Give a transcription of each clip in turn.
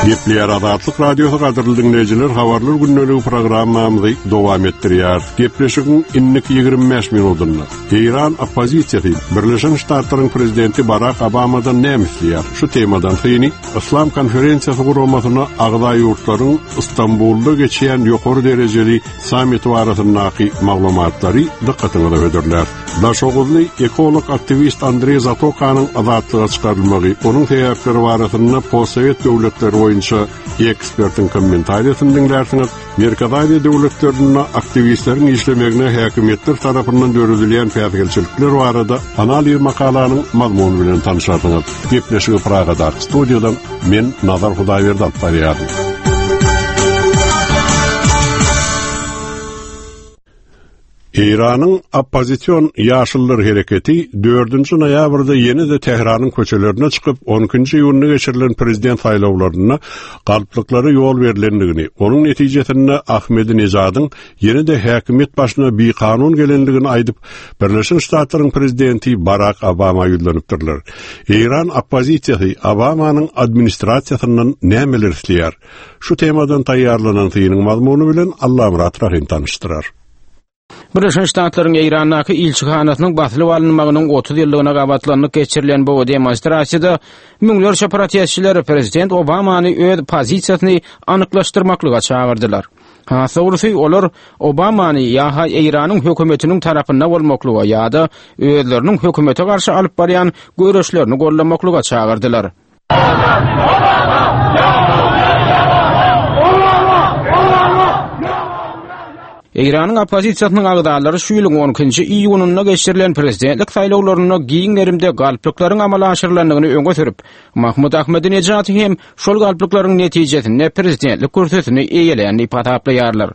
Gepleýär Azatlyk Radiosy gadyrly diňleýjiler habarlar gündeligi programmamyzy dowam etdirýär. Gepleşigiň indiki 25 minutynda Eýran oppozisiýasy Birleşen Ştatlaryň prezidenti Barak Obamadan näme isleýär? Şu temadan syny Yslam konferensiýasy guramasyna agza ýurtlaryň Stambulda geçýän ýokary derejeli sammiti barasyndaky maglumatlary dykgatyňyza hödürlär. Daşoguzly ekolog aktiwist Andreý Zatokanyň azatlyga çykarylmagy, onuň sebäpleri barasynda postsowet döwletleri boýunça ekspertiň kommentariýasyny diňlärsiňiz. Merkezi Aziýa döwletlerinde aktiwistleriň işlemegine häkimiýetler tarapyndan döredilýän päsgelçilikler barada analiz makalanyň mazmuny bilen tanşarsyňyz. Gepleşigi Pragadaky studiýadan men Nazar Hudaýberdi alyp barýaryn. Eýranyň oppozision Ýaşyllar hereketi dördünji noýabrda ýene-de Tähranyň köçelerine çykyp, on ikinji iýunda geçirilen prezident saýlawlarynda galplyklara ýol berlendigini, onuň netijesinde Ahmedinejadyň ýene-de häkimiýet başyna bikanun gelendigini aýdyp, Birleşen Ştatlaryň prezidenti Barak Obama ýüzlenipdirler. Eýran oppozisiýasy Obamanyň administrasiýasyndan nämeler isleýär? Şu temadan taýýarlanan synyň mazmuny bilen Allamyrat Rahym tanyşdyrar. Birleşen Ştatlaryň Eýrandaky ilçihanasynyň basylyp alynmagynyň 30 ýyllygyna gabatlanyp geçirilen bu demonstrasiýada müňlerçe protestçiler prezident Obamany öz pozisiýasyny anyklaşdyrmaklyga çagyrdylar. Has dogrusy, olar Obamany ýa-ha Eýranyň hökümetiniň tarapynda bolmaklyga ýa-da özleriniň hökümete garşy alyp barýan göreşlerini goldamaklyga çagyrdylar. Eýranyň oppozisiýasynyň agzalary şu ýylyň on ikinji iýunynda geçirilen prezidentlik saýlawlarynda giň gerimde galplyklaryň amala aşyrylandygyny öňe sürüp, Mahmud Ahmedinejady hem şol galplyklaryň netijesinde prezidentlik kürsüsini eýelän diýip hasaplaýarlar.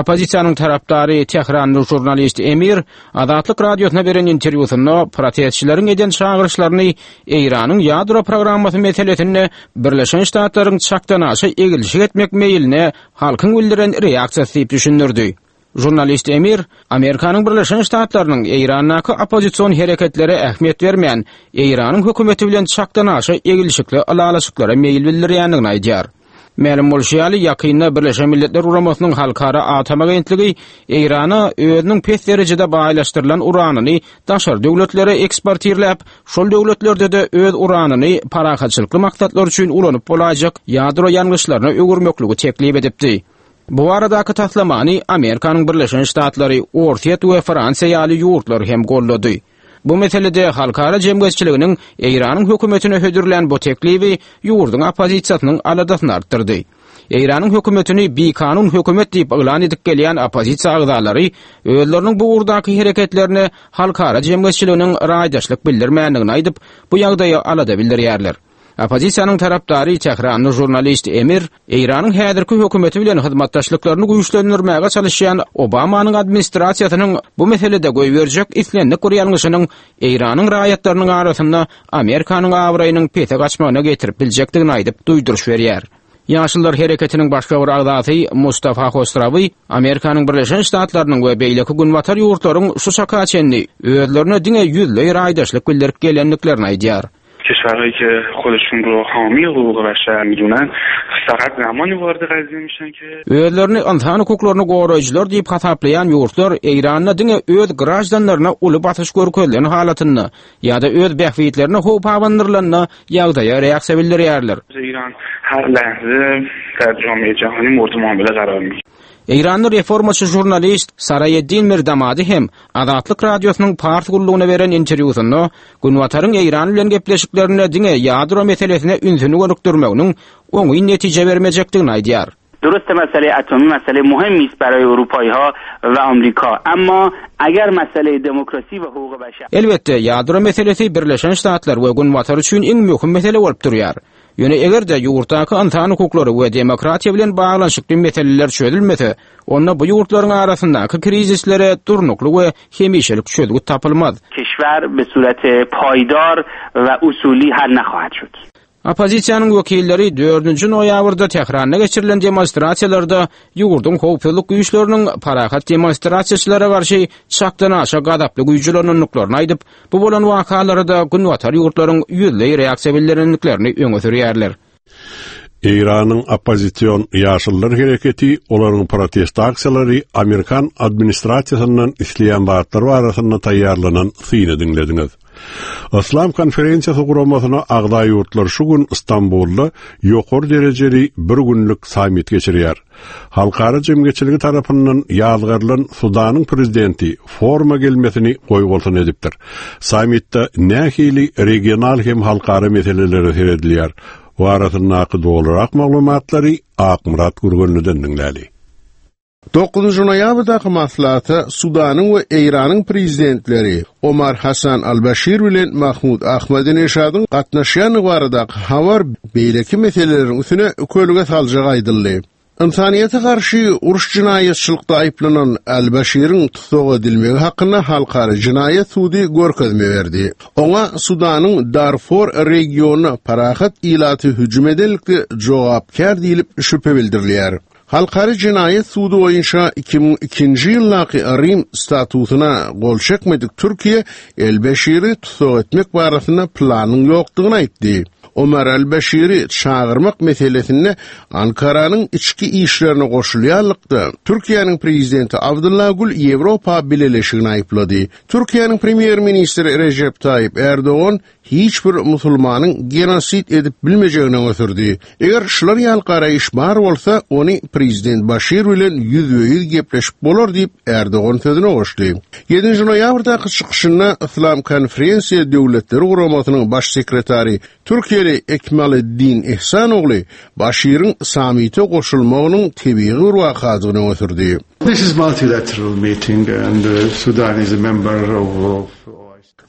Oppozisiýanyň tarapdary tehranly žurnalist Emir Azatlyk Radiosyna beren interwýusynda protestçileriň eden çagyryşlaryny Eýranyň ýadro programmasy meselesinde Birleşen Ştatlaryň çakdanaşa egilşik etmek meýiline halkyň bildiren reaksiýasy diýip düşündirdi. Žurnalist Emir Amerikanyň Birleşen Ştatlarynyň Eýrandaky oppozision hereketlere ähmiýet bermän, Eýranyň hökümeti bilen çakdanaşa egilşikli ylalaşyklara meýil bildirýändigini aýdýar. Mälim bolşy ýaly, ýakynda Birleşen Milletler Guramasynyň Halkara atom agentligi Eýrana özüniň pes derejede baýlaşdyrylan uranyny daşary döwletlere eksportirläp, şol döwletlerde-de öz uranyny parahatçylykly maksatlar üçin ulanyp bolaýjak ýadro ýangyçlaryna öwürmekligi teklip edipdi. Bu baradaky taslamany Amerikanyň Birleşen Ştatlary, Orsýet we Fransiýa ýaly ýurtlar hem goldady. Bu meselede halkara jemgyýetçiliginiň Eýranyň hökümetine hödürlän bu teklibi ýurduň oppozisiýasynyň aladasyny artdyrdy. Eýranyň hökümetini bikanun hökümet diýip yglan edip gelýän oppozisiýa agzalary özleriniň bu ugurdaky hereketlerine halkara jemgyýetçiliginiň raýdaşlyk bildirmändigini aýdyp, bu ýagdaýa alada bildirýärler. Oppozisiýanyň tarapdary tähranly žurnalist Emir Eýranyň häzirki hökümeti bilen hyzmatdaşlyklaryny güýçlendirmäge çalyşýan Obamanyň administrasiýasynyň bu meselede goýberjek islendik bir ýalňyşynyň Eýranyň raýatlarynyň arasynda Amerikanyň abraýynyň pese gaçmagyna getirip biljekdigini aýdyp duýduryş berýär. Ýaşyllar hereketiniň başga bir agzasy Mustafa Hosrawy Amerikanyň Birleşen Ştatlarynyň we beýleki günbatar ýurtlaryň şu çaka çenli özlerine diňe ýüzleý raýdaşlyk bildirip gelendiklerini aýdýar. کشورهایی که خودشون رو حامی حقوق بشر میدونن فقط زمانی وارد قضیه میشن که Özlerini ynsan hukuklaryny goraýjylar diýip hasaplaýan ýurtlar Eýranda diňe öz graždanlaryna uly basyş görkezilen halatynda ýa-da öz bähbitlerine howp abandyrylanda ýagdaýa reaksiýa bildirýärler. ایران هر لحظه در جامعه جهانی مورد معامله قرار میگیره. Eýranly reformaçy žurnalist Saraýeddin Mirdamady hem Azatlyk Radiosynyň Pars gullugyna beren interwýusynda Günbataryň Eýran bilen gepleşiklerinde diňe ýadro meselesine ünsüni gönükdirmeginiň oňyn netije bermejekdigini aýdýar. درسته مسئله اتمی مسئله مهمی است برای اروپایی‌ها و آمریکا اما اگر مسئله دموکراسی و حقوق بشر Elbetde, ýadro meselesi Birleşen Ştatlar we Günbatar üçin iň möhüm mesele bolup durýar. Ýöne eger-de ýurtdaky ynsan hukuklary we demokratiýa bilen baglanyşykly meseleler çözülmese, onda bu ýurtlaryň arasyndaky krizislere durnukly we hemişelik çözgüt tapylmaz. Keşwer be surat paýdar we usuli hal nahahat şud. Oppozisiýanyň wekilleri dördünji noýabrda Tähranda geçirilen demonstrasiýalarda ýurduň howpsuzlyk güýçleriniň parahat demonstrasiýaçylara garşy çakdanaşa gazaply güýç ulanandyklaryny aýdyp, Bu bolan wakalara-da günbatar ýurtlaryň ýüzleý reaksiýa bildirendiklerini öňe sürýärler. Eýranyň oppozision Ýaşyllar hereketi, olaryň protest aksiýalary amerikan administrasiýasyndan isleýän zatlary barasynda taýýarlanan syny diňlediňiz. Yslam konferensiýasy guramasyna agza ýurtlar şu gün Stambulda ýokary derejeli bir günlük sammit geçirýär. Halkara jemgyýetçiligi tarapyndan ýazgarylan Sudanyň prezidenti foruma gelmesini goýbolsun edipdir. Sammitde nähili regional hem halkara meselelere seredilýär? Barasyndaky dolurak maglumatlary Akmyrat Gürgenliden diňläli. Dokuzynjy noýabrdaky maslahata Sudanyň we Eýranyň prezidentleri Omar Hasan al-Başir bilen Mahmud Ahmadinežadyň gatnaşýandygy baradaky habar beýleki meseleleriň üstüne kölge saljagy aýdyldy. Ynsanyýete garşy uruş jenaýatçylykda aýyplanan al-Başiriň tussag edilmegi hakynda Halkara jenaýat sudy görkezme berdi. Oňa Sudanyň Darfur regionyna parahat ilaty hüjüm edenlikde jogapkär diýlip şübhe bildirilýär. Halkara jenaýat sudy boýunça 2002-nji ýyldaky Rim statusyna gol çekmedik Türkiýe El-Beşiri tussag etmek barasynda planyň ýokdugyny aýtdy. Omar El-Beşiri çagyrmak meselesinde Ankaranyň içki işlerine goşulýanlykda Türkiýäniň prezidenti Abdylla Gül Ýewropa Bileleşigini aýyplady. Türkiýäniň premýer-ministri Rejep Taýyp Ärdogan hiç bir musulmanyň genosid edip bilmejegini öňe sürdi. Eger şular ýaly garaýyş bar bolsa, ony prezident Başir bilen ýüzbe-ýüz gepleşip bolar diýip, Ärdogan sözüne goşdy. Ýedinji noýabrdaky çykyşynda Yslam konferensiýa döwletleri guramasynyň baş sekretary türkiýeli Ekmaleddin Ihsanogly Başiriň sammite goşulmagynyň tebigy bir wakadygyny öňe sürdi. This is multilateral meeting and Sudan is a member of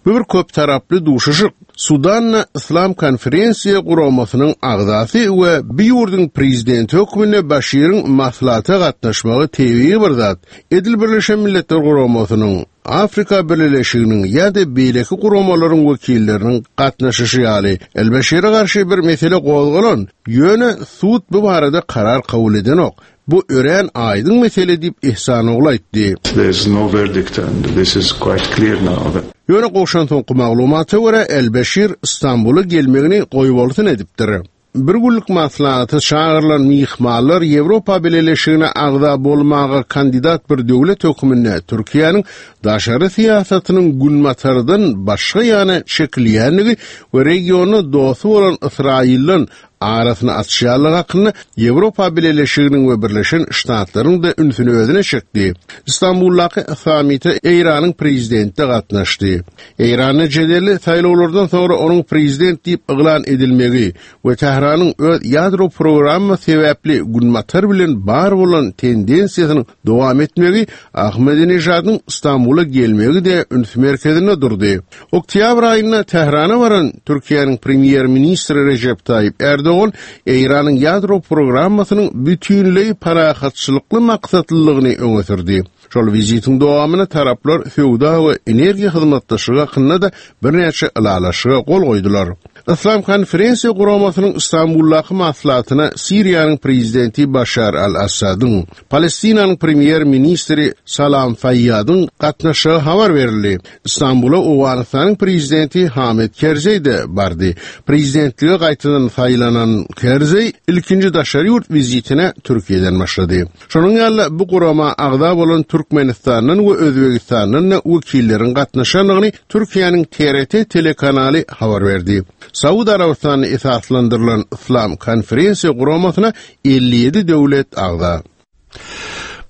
Bu bir köptaraply duşuşyk. Sudanda Yslam konferensiýa guramasynyň agzasy we bu ýurduň prezidenti hökmünde Başiriň maslahata gatnaşmagy tebigy bir zat. Edil Birleşen Milletler Guramasynyň, Afrika Bileleşiginiň ýa-da beýleki guramalaryň wekilleriniň gatnaşyşy ýaly. El-Beşire garşy bir mesele gozgalan, ýöne sud bu barada karar kabul edenok. Bu örän aýdyň mesele diýip, Ihsanogly aýtdy. There is no verdict and this is quite clear now that. Ýöne gowşan soňky maglumata görä, El-Beşir Stambula gelmegini goýbolsun edipdir. Bir günlük maslahata çagyrylan myhmanlar Ýewropa Bileleşigine agza bolmaga kandidat bir döwlet hökmünde Türkiýäniň daşary syýasatynyň Günbatardan başga ýana çekilýändigi we regionda dosty bolan Ysraýyldan arasyny açýanlygy hakynda Ýewropa Bileleşiginiň we Birleşen Ştatlaryň-da ünsüni özüne çekdi. Stambuldaky sammite Eýranyň prezidenti-de gatnaşdy. Eýranda jedelli saýlawlardan soňra onuň prezident diýip yglan edilmegi we Tähranyň öz ýadro programmasy sebäpli Günbatar bilen bar bolan tendensiýasynyň dowam etmegi Ahmedinejadyň Stambula gelmegi-de üns merkezinde durdy. Oktýabr aýynda Tährana baran Türkiýäniň premýer-ministri Rejep Taýyp Ärdogan Eýranyň ýadro programmasynyň bütinleý parahatçylykly maksatlylygyny öňe sürdi. Şol wizitiň dowamynda taraplar söwda we energiýa hyzmatdaşlygy hakynda-da birnäçe ylalaşyga gol goýdular. Yslam konferensiýa guramasynyň Stambuldaky maslahatyna Siriýanyň prezidenti Başar al-Assadyň, Palestinanyň premýer-ministri Salam Faýýadyň gatnaşjagy habar berildi. Stambula Owganystanyň prezidenti Hamid Kerzeý-de bardy. Prezidentlige gaýtadan saýlanan Kerzeý ilkinji daşary ýurt wizitine Türkiýeden başlady. Şonuň ýaly-da bu gurama agza bolan Türkmenistandan we Özbegistandan-da wekilleriň gatnaşandygyny Türkiýäniň TRT telekanaly habar berdi. Saud Arabystanynda esaslandyrylan Yslam konferensiýa guramasyna 57 döwlet agza.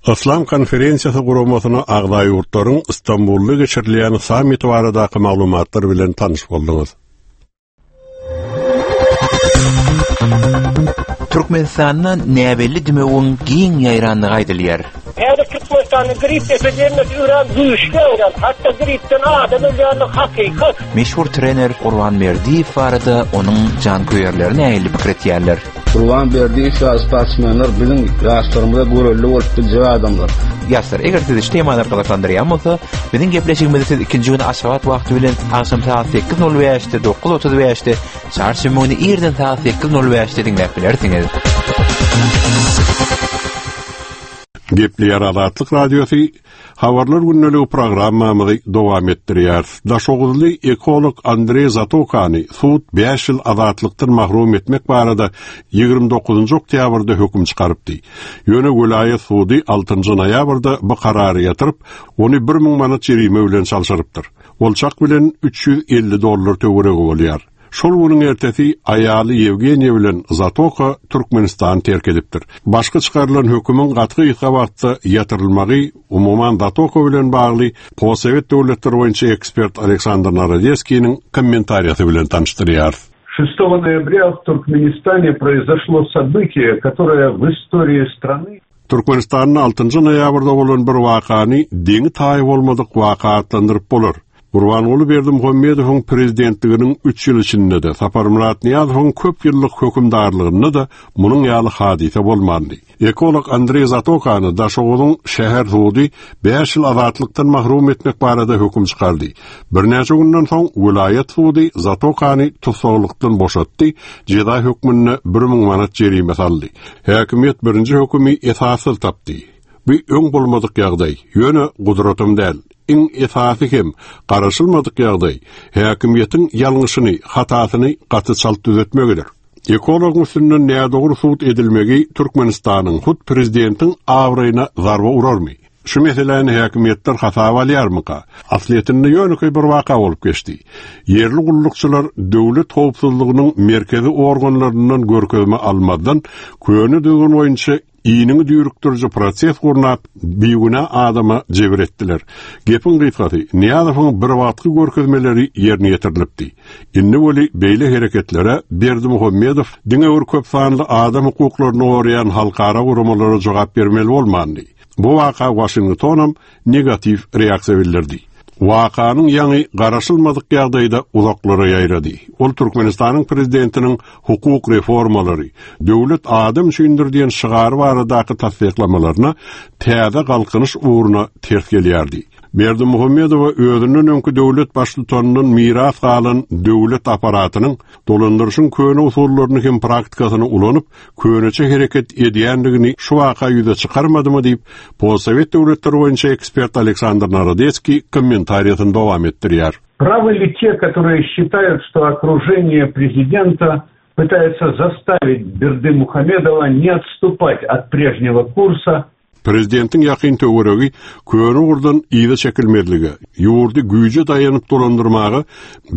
Yslam konferensiýasy guramasyna agza ýurtlaryň Stambulda geçirilýän sammiti baradaky maglumatlar bilen tanyş bolduňyz. Türkmenistanda näbelli dümewiň giň ýaýrandygy aýdylýar. Häzir Türkmenistanda grip epidemiýasy örän güýçli ýaýran. Hatda gripden adam ölýändigi hakykat. Meşhur trener Gurban Berdiýew barada onuň janköýerleri nähili pikir etýärler? Gurban Berdiýew ýaly sportsmenler biziň ýaşlarymyza görelde bolup biljek adamlar. Ýaşlar, eger sizi şu temalar gyzyklandyrýan bolsa, biziň gepleşigimizi siz ikinji gün Aşgabat wagty bilen agşam sagat 8:05-de, 9:35-de, çarşenbe güni irden sagat 8:05-de diňläp bilersiňiz. Gepleýär Azatlyk Radiosy. Habarlar gündeligi programmamyzy dowam etdirýäris. Daşoguzly ekolog Andreý Zatokany sud bäş ýyl azatlykdan mahrum etmek barada 29-njy oktýabrda höküm çykarypdy. Ýöne welaýat sudy altynjy noýabrda bu karary ýatyryp, ony 1000 manat jerime bilen çalşyrypdyr. Ol çak bilen 350 dollar töweregi bolýar. Şol günüň ertesi aýaly Ýewgeniýa bilen Zatoka Türkmenistany terk edipdir. Başga çykarylan hökümiň gaty gysga wagtda ýatyrylmagy, umuman Zatoka bilen bagly postsowet döwletleri boýunça ekspert Aleksandr Narodeskiniň kommentariýasy bilen tanyşdyrýarys. Şestogo noýabrýa w Türkmenistane proizoşlo sobytiýe, kotoroe w istoriýi strany. Türkmenistanda altynjy noýabrda bolan bir wakany deňi-taýy bolmadyk waka atlandyryp bolar. Gurbanguly Berdimuhamedowyň prezidentliginiň üç ýyl içinde-de, Saparmyrat Nyýazowyň köp ýyllyk hökümdarlygynda-da munuň ýaly hadysa bolmandy. Ekolog Andreý Zatokany Daşoguzyň şäher sudy bäş ýyl azatlykdan mahrum etmek barada höküm çykardy. Birnäçe günden soň welaýat sudy Zatokany tussaglykdan boşatdy, jeza hökmünde 1000 manat jerime saldy. Häkimiýet birinji hökümi esassyz tapdy. Bu öň bolmadyk ýagdaý, ýöne gudratam däl. Iň esasy hem garaşylmadyk ýagdaý, häkimiýetiň ýalňyşyny, hatasyny gaty çalt düzetmegidir. Ekologyň üstünden nädogry sud edilmegi Türkmenistanyň, hut prezidentiň abraýyna zarba urarmy? Şu meseläni häkimiýetler hasaba alýarmyka? Aslyýetinde ýönekeý bir waka bolup geçdi. Ýerli gullukçylar döwlet howpsuzlygynyň merkezi organlaryndan görkezme almazdan, köne düzgün boýunça iniňi düýrükdiriji proses gurnap, bigünä adama jebir etdiler. Gepiň gysgasy, Nyýazowyň birwagtky görkezmeleri ýerine ýetirilipdi. Indi weli beýle hereketlere Berdimuhamedow diňe bir köp sanly adam hukuklaryny goraýan halkara guramalara jogap bermeli bolmandy. Bu waka Waşingtonam negatiw reaksiýa bildirdi. Wakanyň ýaňy garaşylmadyk ýagdaýda uzaklara ýaýrady. Ol Türkmenistanyň prezidentiniň hukuk reformalary, döwlet adam üçindir diýen şygary baradaky tassyklamalaryna täze galkynyş ugruna ters gelýärdi. Berdimuhamedowa özünden öňki döwlet baştutanyndan miras galan döwlet apparatynyň dolandyryşyň köne usullaryny hem praktikasyny ulanyp, köneçe hereket edýändigini şu waka ýüze çykarmadymy diýip, postsowet döwletleri boýunça ekspert Aleksandr Narodeskiý kommentariýasyny dowam etdirýär. Правы ли те, которые считают, что окружение президента пытается заставить Бердымухамедова не отступать от прежнего курса Prezidentiň ýakyn töweregi köne ugurdan yza çekilmezlige, ýurdy güýje daýanyp dolandyrmaga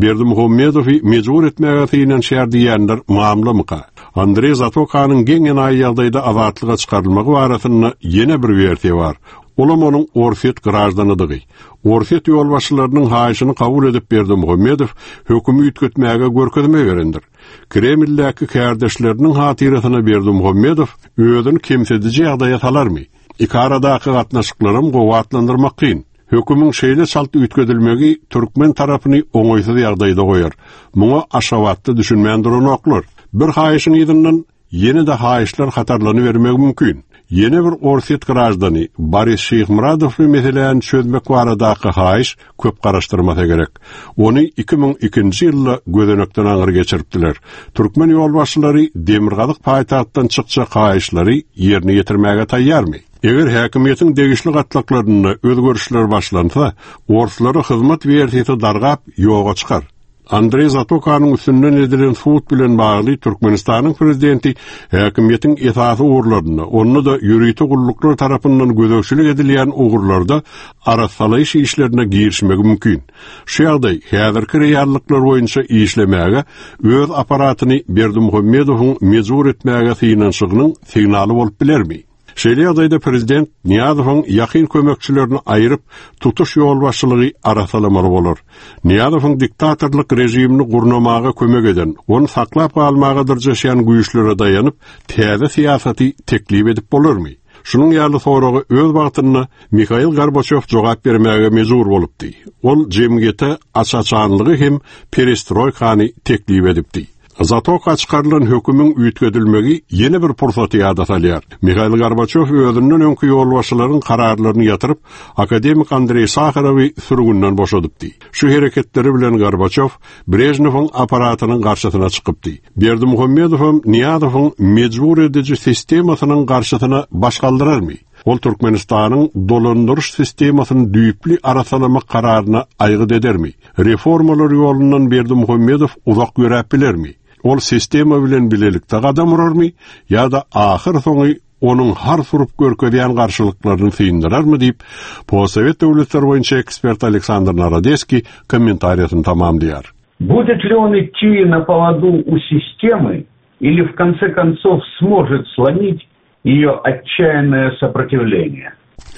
Berdimuhamedowy mejbur etmäge synanyşýar diýýänler mamlamyka? Andreý Zatokanyň geň-enaýy ýagdaýda azatlyga çykarylmagy barasynda ýene bir wersiýa bar. Olam onuň orsýet graždanydygy. Orsýet ýolbaşçylarynyň haýyşyny kabul edip Berdimuhamedow hökümi üýtgetmäge görkezme berendir. Kremldäki kärdeşleriniň hatyrasyna Berdimuhamedow özüni kemsidiji ýagdaýa salarmy? Ikaradaky gatnaşyklaram gowy atlandyrmak kyn. Hökümiň şeýle çalt üýtgedilmegi türkmen tarapyny oňaýsyz ýagdaýda goýar. Muňa Aşgabatda düşünmän duranoklar. Bir haýyşyň yzyndan ýene-de haýyşlar hatarlanybermegi mümkin. Ýene bir orsýet graždany Boris Şyhmyradowly meseläni çözmek baradaky haýyş köp garaşdyrmasa gerek. Ony 2002-nji ýylda gözenekden aňry geçiripdiler. Türkmen ýolbaşçylary demirgazyk paýtagtdan çykjak haýyşlary ýerine ýetirmäge taýýarmy? Eger häkimiýetiň degişli gatlaklarynda özgerişler başlansa, orslara hyzmat wersiýasy dargap, ýoga çykar. Andreý Zatokanyň üstünden edilen sud bilen bagly Türkmenistanyň prezidenti häkimiýetiň esasy ugurlarynda, onda-da ýörite gulluklar tarapyndan gözegçilik edilýän ugurlarda arassalaýyş işlerine girişmegi mümkin. Şu ýagdaý häzirki reallyklar boýunça işlemäge öz apparatyny Berdimuhamedowyň mejbur etmäge synanyşygynyň signaly bolup bilermi? Şeýle ýagdaýda prezident Nyýazowyň ýakyn kömekçilerini aýryp, tutuş ýolbaşçylygy arassalamaly bolar. Nyýazowyň diktatorlyk režimini gurnamaga kömek eden, ony saklap galmaga dyrjaşýan güýçlere daýanyp, täze syýasaty teklip edip bolarmy? Şunuň ýaly soraga öz wagtynda Mihail Gorbaçýow jogap bermäge mejbur bolupdy. Ol jemgyýete aç-açanlygy hem perestroýkany teklip edipdi. Zatoka çykarylan hökümiň üýtgedilmegi ýene bir pursaty ýada salýar. Mihail Gorbaçýow özünden öňki ýolbaşçylaryň kararlaryny ýatyryp, akademik Andreý Saharowy sürgünden boşadypdy. Şu hereketleri bilen Gorbaçýow Brežnewiň apparatynyň garşysyna çykypdy. Berdimuhamedowam Nyýazowyň mejbur ediji sistemasynyň garşysyna baş galdyrarmy? Ol Türkmenistanyň dolandyryş sistemasyny düýpli arassalamak kararyna aýgyt edermi? Reformalar ýolundan Berdimuhamedow uzak ýöräp bilermi? Ol sistema bilen bilelikde gadam urarmy ýa-da ahyrsoňy onuň hars urup görkezýän garşylyklaryny syndyrarmy diýip, postsowet döwletleri boýunça ekspert Aleksandr Narodeskiý kommentariýasyny tamamlaýar. Будет ли он идти на поводу у системы или в конце концов сможет сломить ее отчаянное сопротивление?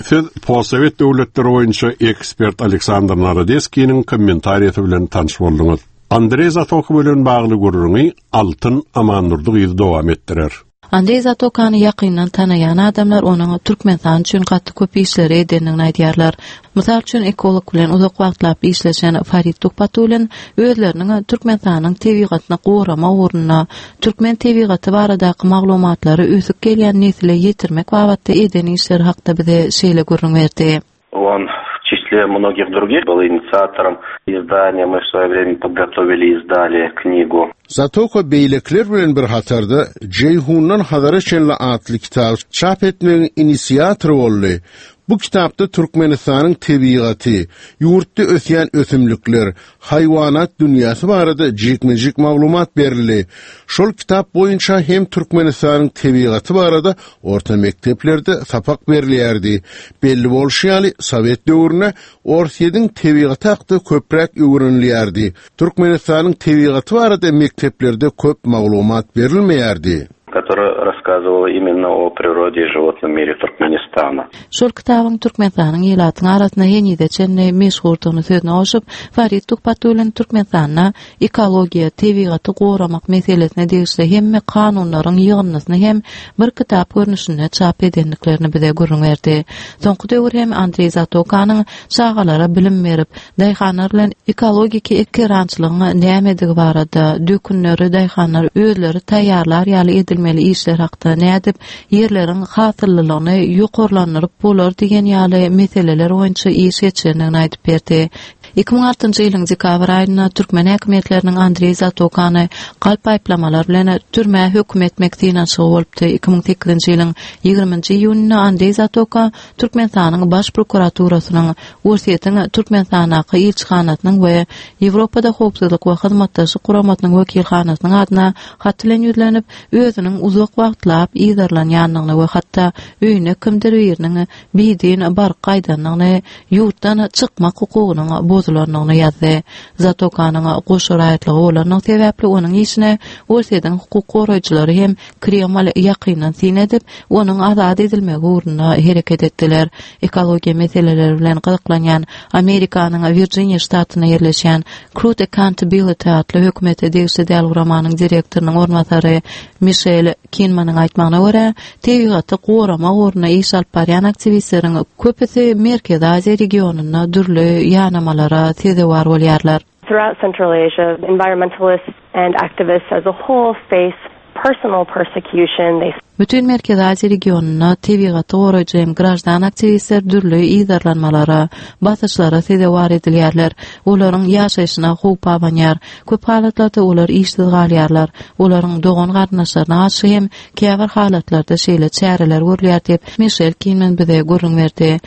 Siz postsowet döwletleri boýunça ekspert Aleksandr Narodeskiniň kommentariýasy bilen tanyş bolduňyz. Andreý Zatoka bilen bagly gürrüňi Altyn Amandurdy gyzy dowam etdirer. Andreý Zatokany ýakyndan tanaýan adamlar onuň Türkmenistan üçin gaty köp işleri edendigini aýdýarlar. Mysal üçin, ekolog bilen uzak wagtlap işleşen Farid Tuhbatullin özleriniň Türkmenistanyň tebigatyny goramak ugrunda, türkmen tebigaty baradaky maglumatlary ösüp gelýän nesle ýetirmek babatda eden işleri hakda bize şeýle gürrüň berdi. On w çisle mnogih drugih byl inisiatorom izdaniýa, my w svoýe vremýa podgotowili i izdali knigu. Zatoka beýlekiler bilen bir hatarda Jeýhundan Hazara çenli atly kitaby çap etmegiň inisiatory boldy. Bu kitapda Türkmenistanyň tebigaty, ýurtda ösýän ösümlikler, haýwanat dünýäsi barada jikme-jik maglumat berildi. Şol kitap boýunça hem Türkmenistanyň tebigaty barada orta mekdeplerde sapak berilýärdi. Belli bolşy ýaly, sowet döwründe Orsýetiň tebigaty hakda köpräk öwrenilýärdi. Türkmenistanyň tebigaty barada mekdeplerde köp maglumat berilmeýärdi. Которая rasskazyvala imenno o prirode i životnom mire Turkmenistana. Şol kitabyň Türkmenistanyň ilatyň arasynda henize çenli meşhurdygyny sözüne goşup, Farid Tuhbatullin Türkmenistanda ekologiýa, tebigaty goramak meselesine degişli hemme kanunlaryň ýygyndysyny hem bir kitap görnüşinde çap edendiklerini bize gürrüň berdi. Soňky döwür hem Andreý Zatokanyň çagalara bilim berip, daýhanlar bilen ekologiki ekerançylygyň nämedigi barada, dökünleri daýhanlar özleri taýýarlar ýaly edilmeli işler hakda, nädip ýerleriň hasyllylygyny ýokarlandyryp bolar diýen ýaly meseleler boýunça iş geçirendigini aýdyp berdi. 2006-njy ýylyň dekabr aýynda türkmen häkimiýetleriniň Andreý Zatokany galp aýyplamalar bilen türmä höküm etmek synanyşygy bolupdy. 2008-nji ýylyň ýigriminji iýunynda Andreý Zatoka Türkmenistanyň Baş prokuraturasynyň, Orsýetiň Türkmenistandaky ilçihanasynyň we Ýewropada Howpsuzlyk we Hyzmatdaşlyk Guramasynyň wekilhanasynyň adyna hat bilen ýüzlenip, özüniň uzak wagtlap yzarlanýandygyny we hatda öýüne kimdir biriniň bidin baryp gaýdandygyny, ýurtdan çykmak hukugynyň bozulandygyny ýazdy. Zatokanyň goşa raýatlygy bolandygy sebäpli onuň işine Orsýetiň hukuk goraýjylary hem Kreml ýakyndan syn edip, onuň azat edilmegi ugrunda hereket etdiler. Ekologiýa meseleleri bilen gyzyklanýan Amerikanyň Wirjiniýa ştatynda ýerleşýän Crude Accountability atly hökümete degişli däl guramanyň direktorynyň orunbasary Mişel Kinmanyň aýtmagyna görä, tebigaty goramak ugrunda iş alyp barýan aktiwistleriň köpüsi Merkezi Aziýa regionynda dürli ýanamalara sezewar bolýarlar. Throughout Central Asia, environmentalists and activists as a whole face personal persecution, they. Bütin Merkezi Aziýa regionynda tebigaty goraýjy hem graždan aktiwistler dürli yzarlanmalara, basyşlara sezewar edilýärler, olaryň ýaşaýşyna howp abanýar. Köp halatlarda olar işsiz galýarlar. Olaryň dogan-garyndaşlaryna garşy hem käbir halatlarda şeýle çäreler görülýär diýip, Mişel Kinman bize gürrüň berdi.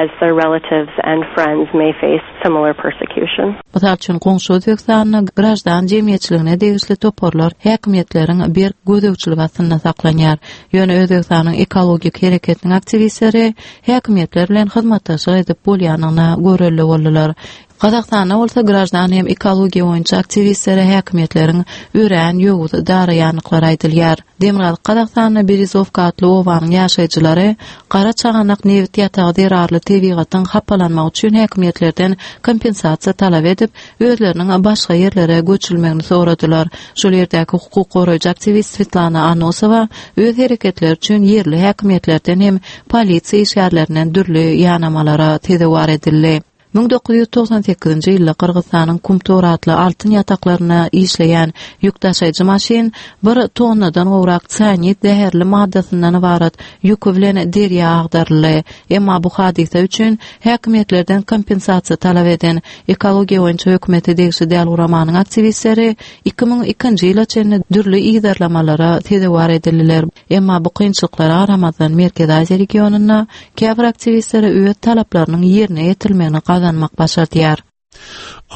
As their relatives and friends may face similar persecution. Mysal üçin, goňşy Özbegistanda graždan jemgyýetçiligine degişli toparlar häkimiýetleriň berk gözegçiligi astynda saklanýar. Ýöne Özbegistanyň ekologik hereketiniň aktiwistleri häkimiýetler bilen hyzmatdaşlyk edip bolýandygyna görelde boldular. Gazagystanda bolsa graždan hem ekologiýa boýunça aktiwistlere häkimiýetleriň örän ýowuz daraýandyklary aýdylýar. Demirgazyk Gazagystanda Berezowka atly obanyň ýaşaýjylary Gara çaganak nebit ýatagy zerarly tebigatyň hapalanmagy üçin häkimiýetlerden kompensasiýa talap edip, özleriniň başga ýerlere göçürilmegini soradylar. Şol ýerdäki hukuk goraýjy aktiwist Swetlana Anosowa öz hereketleri üçin ýerli häkimiýetlerden hem polisiýa işgärlerinden dürli ýanamalara sezewar edildi. 1998-nji ýylda Gyrgyzystanyň Kumtor atly altyn ýataklarynda işleýän ýük daşaýjy maşyn bir tonnadan gowrak sianid zäherli maddasyndan ybarat ýüki bilen derýa agdaryldy. Emma bu hadysa üçin häkimiýetlerden kompensasiýa talap eden ekologiýa boýunça hökümete degişli däl guramanyň aktiwistleri 2002-nji ýyla çenli dürli yzarlamalara sezewar edildiler. Emma bu kynçylyklara garamazdan, Merkezi Aziýa regionynda käbir aktiwistlere öz talaplarynyň ýerine ýetirilmegini gazanmak başardýar.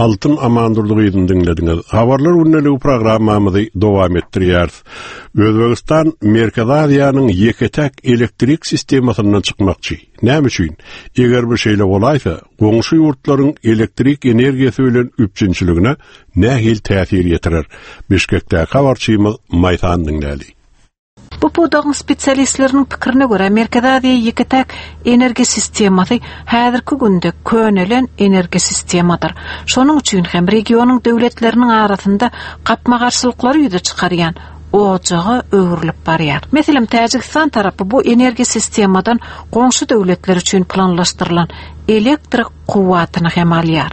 Altyn Amandurdy gyzyny diňlediňiz. Habarlar gündeligi programmamyzy dowam etdirýäris. Özbegistan Merkezi Aziýanyň ýeke-täk elektrik sistemasyndan çykmakçy. Näme üçin? Eger bu şeýle bolaýsa, goňşy ýurtlaryň elektrik energiýasy bilen üpjünçiligine nähili täsir ýetirer? Bişkekdäki habarçymyz Maýsany diňläli. Bu pudagyň spesialistleriniň pikirine görä, Merkezi Aziýa ýeke-täk energiýa sistemasy häzirki günde könelen energiýa sistemadyr. Şonuň üçin hem regionyň döwletleriniň arasynda gapma-garşylyklary ýüze çykarýan ojaga öwrülip barýar. Meselem, Täjigistan tarapy bu energiýa sistemadan goňşy döwletler üçin planlaşdyrylan elektrik kuwwatyny hem alýar.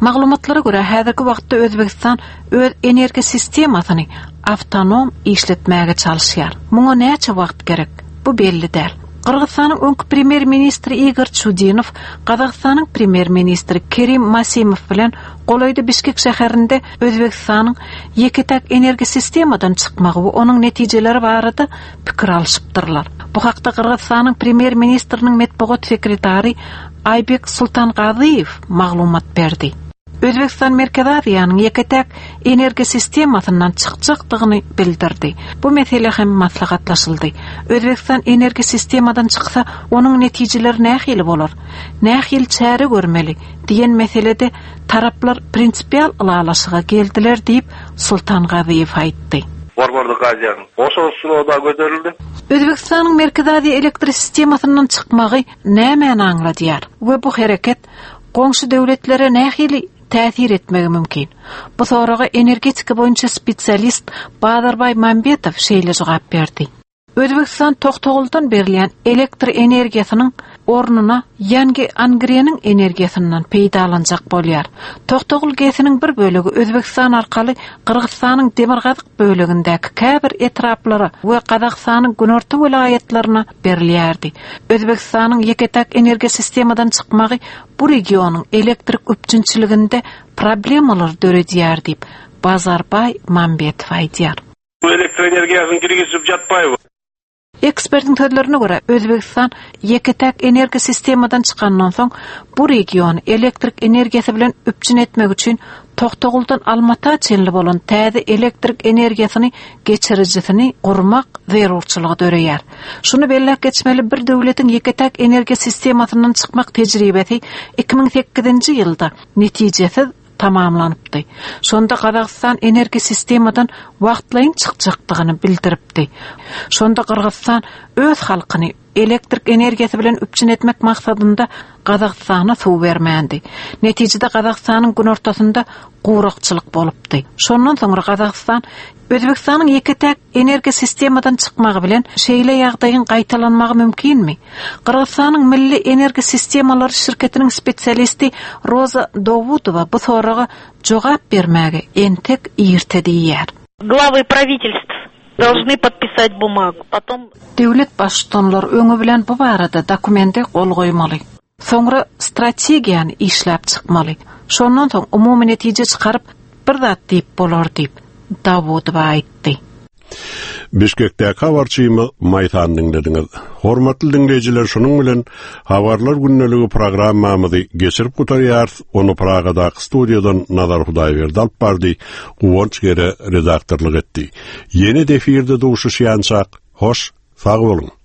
Maglumatlara görä, häzirki wagtda Özbegistan öz energiýa sistemasyny awtonom işletmäge çalyşýar. Muňa näçe wagt gerek? Bu belli däl. Gyrgyzystanyň öňki premýer-ministri Igor Çudinow Gazagystanyň premýer-ministri Kerim Masimow bilen golaýda Bişkek şäherinde Özbegistanyň ýeke-täk energiýa sistemadan çykmagy we onuň netijeleri barada pikir alşypdyrlar. Bu hakda Gyrgyzystanyň premýer-ministriniň metbugat sekretary Aýbek Sultangazyýew maglumat berdi. Özbegistan Merkezi Aziýanyň ýeke-täk energiýa sistemasyndan çykjakdygyny bildirdi. Bu mesele hem maslahatlaşyldy. Özbegistan energiýa sistemadan çyksa, onuň netijeleri nähili bolar? Nähili çäre görmeli? diýen meselede taraplar prinsipial ylalaşyga geldiler diýip, Sultangazyýew aýtdy. Borborlyk Aziýanyň Oşol suloda göterildi. Özbegistanyň Merkezi Aziýa elektrosistemasyndan çykmagy nämäni aňladýar we bu hereket goňşy döwletlere nähili täsir etmegi mümkin? Bu soraga energetika boýunça spesialist Bazarbaý Mambetow şeýle jogap berdi. Özbegistan Toktoguldan berilýän elektr energiýasynyň ornuna Ýangi Angreniň energiýasyndan peýdalanjak bolýar. Toktogul GES-iniň bir bölegi Özbegistan arkaly Gyrgyzystanyň demirgazyk bölegindäki käbir etraplara we Gazagystanyň günorta welaýatlaryna berilýärdi. Özbegistanyň ýeke-täk energiýa sistemadan çykmagy bu regionyň elektrik üpjünçiliginde problemalar döredýär diýip, Bazarbaý Mambetow aýdýar. Elektroenergiýasyny girgizip ýatmaýby. Ekspertiň sözlerine görä, Özbegistan ýeke-täk energiýa sistemadan çykandan soň, bu regiony elektrik energiýasy bilen üpjün etmek üçin Toktoguldan Almata çenli bolan täze elektrik energiýasyny geçirijisini gurmak zerurçylygy döreýär. Şuny belläp geçmeli, bir döwletiň ýeke-täk energiýa sistemasyndan çykmak tejribesi 2008-nji ýylda netijesiz tamamlanypdy. Şonda Gazagystan energiýa sistemadan wagtlaýyn çykjakdygyny bildiripdi. Şonda Gyrgyzystan öz halkyny elektrik energiýasy bilen üpjün etmek maksadynda Gazagystana suw bermändi. Netijede Gazagystanyň günortasynda gurakçylyk bolupdy. Şondan soňra Gazagystan Özbegistanyň ýeke-täk energiýa sistemadan çykmagy bilen şeýle ýagdaýyň gaýtalanmagy mümkinmi? Gyrgyzystanyň Milli energiýa sistemalary şirketiniň spesialisti Roza Dawudowa bu soraga jogap bermäge entek irte diýýär. Glawy prawitelstw dolžny podpisat bumagu, potom. Döwlet baştutanlary öňi bilen bu barada dokumente gol goýmaly. Soňra strategiýany işläp çykmaly. Şondan soň umumy netije çykaryp, bir zat diýip bolar diýip, Dawudowa aýtdy. Bişkekdäki habarçymyz Maýsany diňlediňiz. Hormatly diňleýjiler şunuň bilen Habarlar gündeligi programmamyzy geçirip gutarýarys. Ony Pragadaky studiýadan Nazar Hudaýberdi alyp bardy, Guwanç Gere redaktorlyk etdi. Ýene-de efirde duşuşýançak, hoş, sag boluň!